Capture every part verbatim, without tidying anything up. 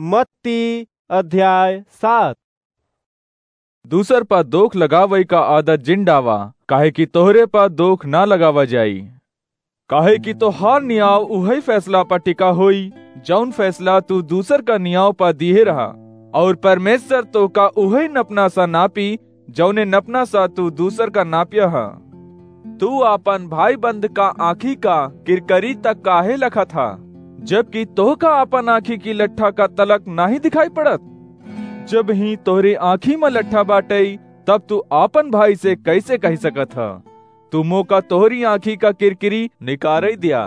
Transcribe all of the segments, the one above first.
मत्ती अध्याय सात। दूसर प दोख लगावइ का आदत जिन डावा, काहे कि तोहरे प दोख ना लगावा जाई। काहे कि तोहार नियाव उहइ फैसला प टिका होई, जउन फैसला तू दूसर का नियाव प दिहे रहा, अउर परमेश्वर तोहका उहइ नपना सा नापी, जउने नपना सा तू दूसर का नाप्या ह। तू आपन भाई बंद का आँखी का किरकरी तक काहे लखत ह, जबकि तोहका आपन आँखी की लट्ठा का तलक नाहीं दिखाई पड़त? जब ही तोहरी आँखी म लट्ठा बाटइ, तब तू आपन भाई से कइसे कहि सकत ह, "तू मोका तोहरी आँखी का किरकिरी निकारइ द्या"?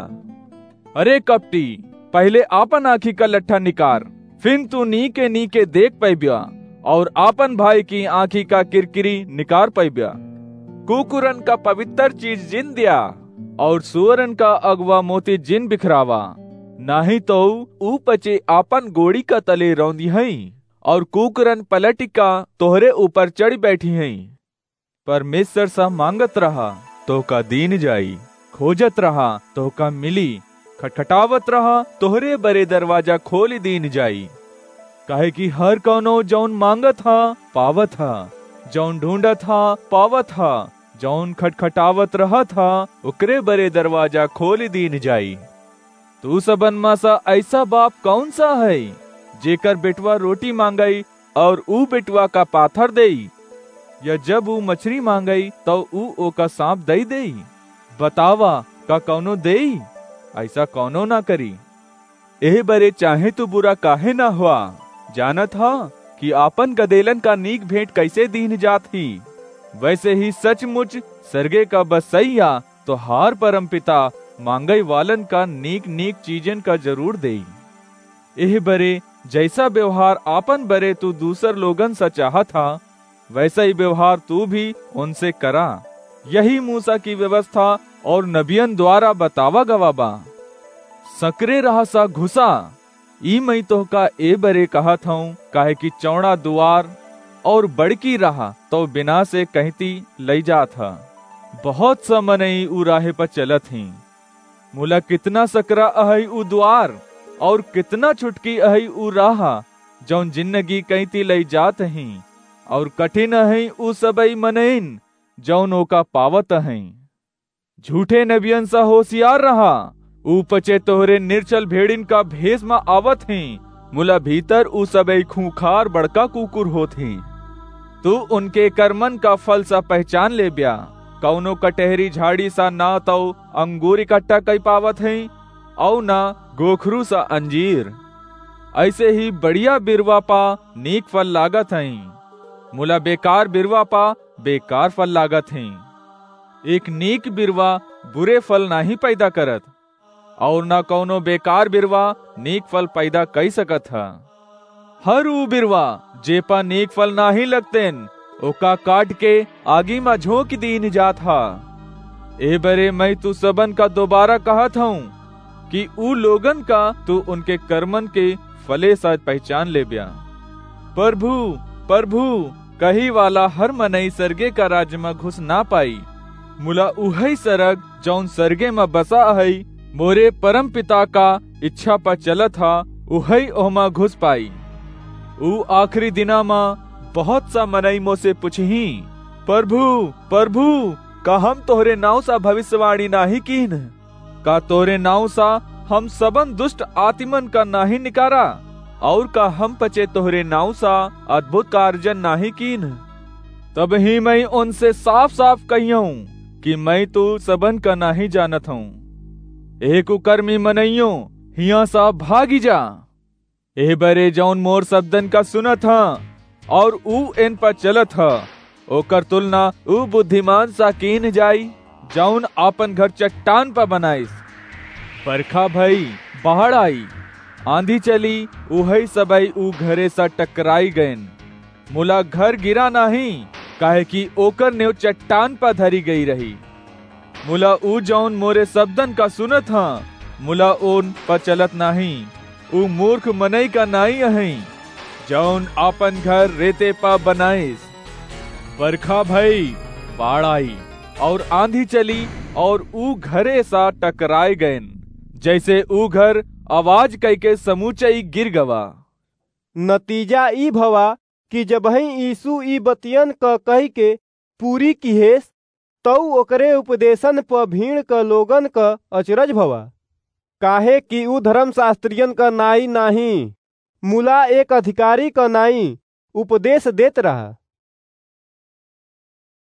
अरे कपटी, पहिले आपन आँखी का लट्ठा निकार, फिन तू नीके नीके देख पइब्या, अउर आपन भाई की आँखी का किरकिरी निकार पइब्या। कुकुरन का पवित्र चीज जिन द्या, अउर सुअरन का अगवा मोती जिन बिखरावा, नाहीं तउ ऊ पचे आपन गोड़ी का तले रौंदिहइँ, अउर कुकुरन पलटि का तोहरे ऊपर चढ़ि बइठिहइँ। परमेश्वर सा माँगत रहा, तोहका दीन जाई, खोजत रहा, तोहका मिली, खटखटावत रहा, तोहरे बरे दरवाजा खोलि दीन जाई। काहे कि हर कउनो जउन माँगत ह, पावत ह, जउन ढूँढत ह, पावत ह, जउन खटखटावत रहत ह, ओकरे बरे दरवाजा खोलि दीन जाई। तू सबन म सा अइसा बाप कउन सा हइ, जेकर बेटवा रोटी माँगइ, अउर ऊ बेटवा का पाथर देई? या जब ऊ मछरी माँगइ, तउ ऊ ओका साँप दइ देई? बतावा, का कउनो देई? अइसा कउनो ना करी। एह बरे चाहे तू बुरा काहे ना हुआ, जानत ह कि आपन गदेलन का नीक भेंट कइसे दीन जात ही, वइसे ही सचमुच सरगे का बसइया तोहार परमपिता माँगइ वालन का नीक नीक चीजन का जरूर देई। एह बरे जइसा बेवहार आपन बरे तू दूसर लोगन सा चाहत ह, वइसा ही बेवहार तू भी ओनसे करा। यही मूसा की व्यवस्था अउर नबियन द्वारा बतावा गवा बा। सकरे राह सा घुसा, ई मइँ तोहका ए बरे कहत हउँ, काहे कि चौड़ा दुआर अउर बड़की राह तउ बिना से कहिती लइ जात ह। बहुत सा मनई ऊ राहे प चलत हीं। मुला कितना सकरा अहइ ऊ द्वार, अउर कितना छुटकी अहइ ऊ राह, जउन जिन्नगी कइती लइ जात हीं, अउर कठिन अहइ ऊ सबइ मनइन, जउन ओका पावत अहइ। झूठे नबियन सा होसियार रहा, ऊ पचे तोहरे निरछल भेड़िन का भेस म आवत हीं, मुला भीतर ऊ सबइ खूंखार बड़का कुकुर होत हीं। तू उनके करमन का फल सा पहचान लेब्या। कउनो कटहरी झाड़ी सा ना तउ अंगूर इकट्ठा कइ पावत हीं, अउ ना गोखरू सा अंजीर। अइसे ही बढ़िया बिरवा पा नीक फल लागत हइँ, मुला बेकार बिरवा पा बेकार फल लागत हइँ। एक नीक बिरवा बुरे फल नाहीं पैदा करत, अउर ना कउनो बेकार बिरवा नीक फल पैदा कइ सकत ह। हर ऊ बिरवा जे पा नीक फल नाहीं लगतेन, ओका काट के आगी म झोंक दीन जात ह। ए बरे मइँ तू सबन का दोबारा कहत हउँ कि ऊ लोगन का तू उनके करमन के फले सा पहचान लेब्या। "परभू, परभू," कही वाला हर मनई सरगे का राज म घुस ना पाई, मुला उहइ सरग जउन सरगे म बसा अहइ, मोरे परमपिता का इच्छा प चलत ह, उहइ ओहमा घुस पाई। ऊ आखिरी दिना म बहुत सा मनई मोसे पुछहीं, "परभू, परभू, का हम तोहरे नाउँ सा भविष्यवाणी नाहीं कीन्ह? का तोहरे नाउँ सा हम सबन दुष्ट आतिमन का नाहीं निकारा? अउर का हम पचे तोहरे नाउँ सा अद्भुत कारजन नाहीं कीन्ह?" तबहीं मइँ ओनसे साफ-साफ कहियउँ कि मइँ तू सबन का नाहीं जानत हउँ। ए कुकर्मी मनइयो, हियाँ सा भागि जा। एह बरे जउन मोर सबदन का सुनत ह अउर ऊ एन प चलत ह, ओकर तुलना ऊ बुद्धिमान सा कीन्ह जाई, जउन आपन घर चट्टान प बनाइस। बरखा भई, बाढ़ आई, आँधी चली, उहइ सबइ ऊ घरे सा टकराई गइन। मुला घर गिरा नाहीं, काहे कि ओकर नेव चट्टान प धरी गई रही। मुला ऊ जउन मोरे सबदन का सुनत ह, मुला ओन प चलत नाहीं, ऊ मूर्ख मनई का नाईं अहइँ, जउन आपन घर रेते प बनाइस। बरखा भई, बाढ़ आई, अउर आँधी चली, अउर ऊ घरे सा टकराए गइन, जइसे ऊ घर आवाज कइके समूचई गिर गवा। नतीजा ई भवा कि जबहीं यीशु ई बतियन क कहिके पूरी किहेस, तऊ ओकरे उपदेशन प भीड़ क लोगन क अचरज भवा, काहे कि ऊ धर्मशास्त्रियन क नाई नाहीं, मुला एक अधिकारी क नाई उपदेश देत रहा।